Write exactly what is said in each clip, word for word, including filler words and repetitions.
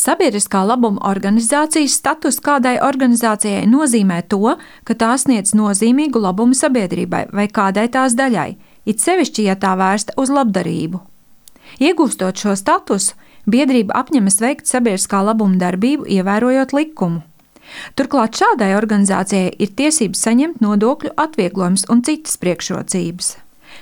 Sabiedriskā labuma organizācijas status kādai organizācijai nozīmē to, ka tā sniedz nozīmīgu labumu sabiedrībai vai kādai tās daļai, it sevišķi, ja tā vērsta uz labdarību. Iegūstot šo statusu, biedrība apņemas veikt sabiedriskā labuma darbību, ievērojot likumu. Turklāt šādai organizācijai ir tiesības saņemt nodokļu atvieglojumus un citas priekšrocības.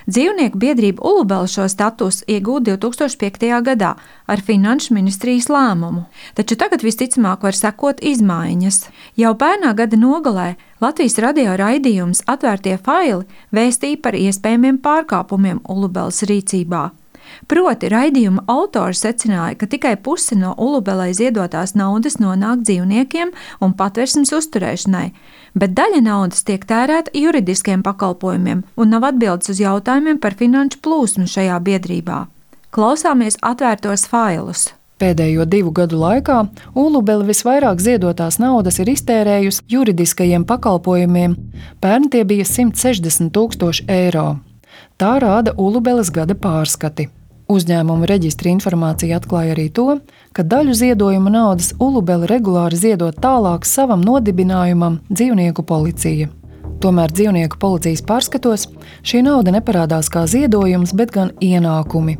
Dzīvnieku biedrība Ulubele šo statusu iegūta divi tūkstoši piektajā gadā ar Finanšu ministrijas lēmumu, taču tagad visticamāk var sekot izmaiņas. Jau pērnā gada nogalē Latvijas radio raidījums Atvērtie faili vēstīja par iespējamiem pārkāpumiem Ulubeles rīcībā. Proti, raidījuma autori secināja, ka tikai puse no Ulubelei ziedotās naudas nonāk dzīvniekiem un patversmes uzturēšanai, bet daļa naudas tiek tērēta juridiskiem pakalpojumiem un nav atbildes uz jautājumiem par finanšu plūsmu šajā biedrībā. Klausāmies atvērtos failus. Pēdējo divu gadu laikā Ulubele visvairāk ziedotās naudas ir iztērējusi juridiskajiem pakalpojumiem. Pērn tie bija simt sešdesmit tūkstoši eiro. Tā rāda Ulubeles gada pārskati. Uzņēmuma reģistra informācija atklāja arī to, ka daļu ziedojuma naudas Ulubele regulāri ziedot tālāk savam nodibinājumam Dzīvnieku policija. Tomēr Dzīvnieku policijas pārskatos šī nauda neparādās kā ziedojums, bet gan ienākumi.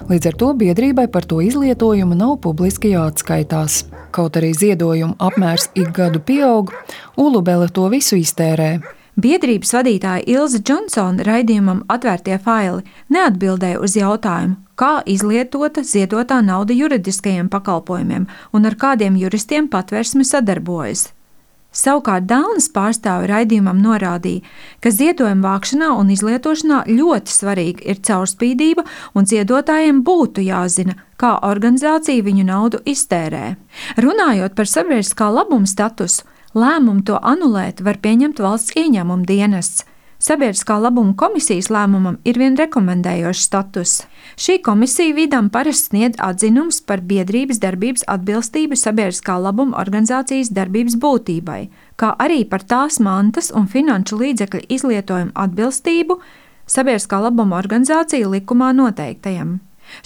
Līdz ar to biedrībai par to izlietojumu nav publiski jāatskaitās. Kaut arī ziedojumu apmērs ik gadu pieaug, Ulubele to visu iztērē. Biedrības vadītāja Ilze Džonsone raidījumam Atvērtie faili neatbildēja uz jautājumu, kā izlietota ziedotā nauda juridiskajiem pakalpojumiem un ar kādiem juristiem patversme sadarbojas. Savukārt Dālnas pārstāve raidījumam norādīja, ka ziedojuma vākšanā un izlietošanā ļoti svarīga ir caurspīdība un ziedotājiem būtu jāzina, kā organizācija viņu naudu iztērē. Runājot par sabiedriskā labuma statusu, lēmumu to anulēt var pieņemt valsts ieņēmuma dienests. Sabiedriskā labuma komisijas lēmumam ir vien rekomendējošs status. Šī komisija vidam parasti sniedz atzinums par biedrības darbības atbilstību sabiedriskā labuma organizācijas darbības būtībai, kā arī par tās mantas un finanšu līdzekļu izlietojumu atbilstību sabiedriskā labuma organizācija likumā noteiktajam.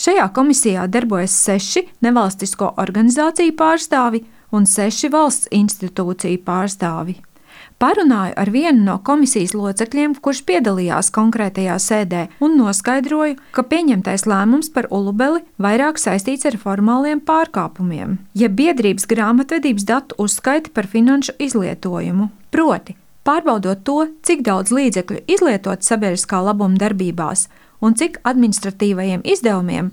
Šajā komisijā darbojas seši nevalstisko organizāciju pārstāvi un seši valsts institūciju pārstāvi. Parunāju ar vienu no komisijas locekļiem, kurš piedalījās konkrētajā sēdē, un noskaidroju, ka pieņemtais lēmums par Ulubeli vairāk saistīts ar formāliem pārkāpumiem, ja biedrības grāmatvedības datu uzskaiti par finanšu izlietojumu. Proti, pārbaudot to, cik daudz līdzekļu izlietot sabiedriskā labuma darbībās un cik administratīvajiem izdevumiem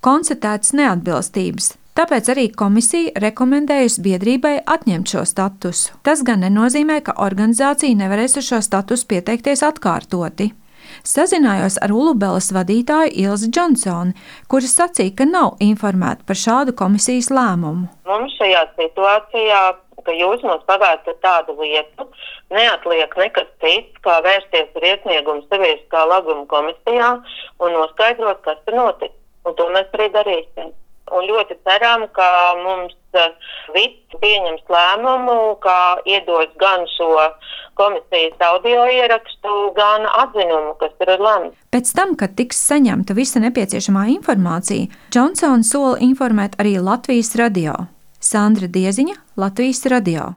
konstatētas neatbilstības. Tāpēc arī komisija rekomendējusi biedrībai atņemt šo statusu. Tas gan nenozīmē, ka organizācija nevarēs uz šo statusu pieteikties atkārtoti. Sazinājos ar Ulubeles vadītāju Ilzi Džonsoni, kura sacīja, ka nav informēta par šādu komisijas lēmumu. Mums šajā situācijā, ka jūs mums pagādat tādu lietu, neatliek nekas cits, kā vērsties ar iesniegumu sabiedriskā labuma komisijā un noskaidrot, kas tur notic. Un to mēs arī darīsim. Un ļoti ceram, ka mums viss pieņems lēmumu, ka iedos gan šo komisijas audio ierakstu, gan atzinumu, kas tur ir lemts. Pēc tam, kad tiks saņemta visa nepieciešamā informācija, Džonsone sola informēt arī Latvijas radio. Sandra Dieziņa, Latvijas radio.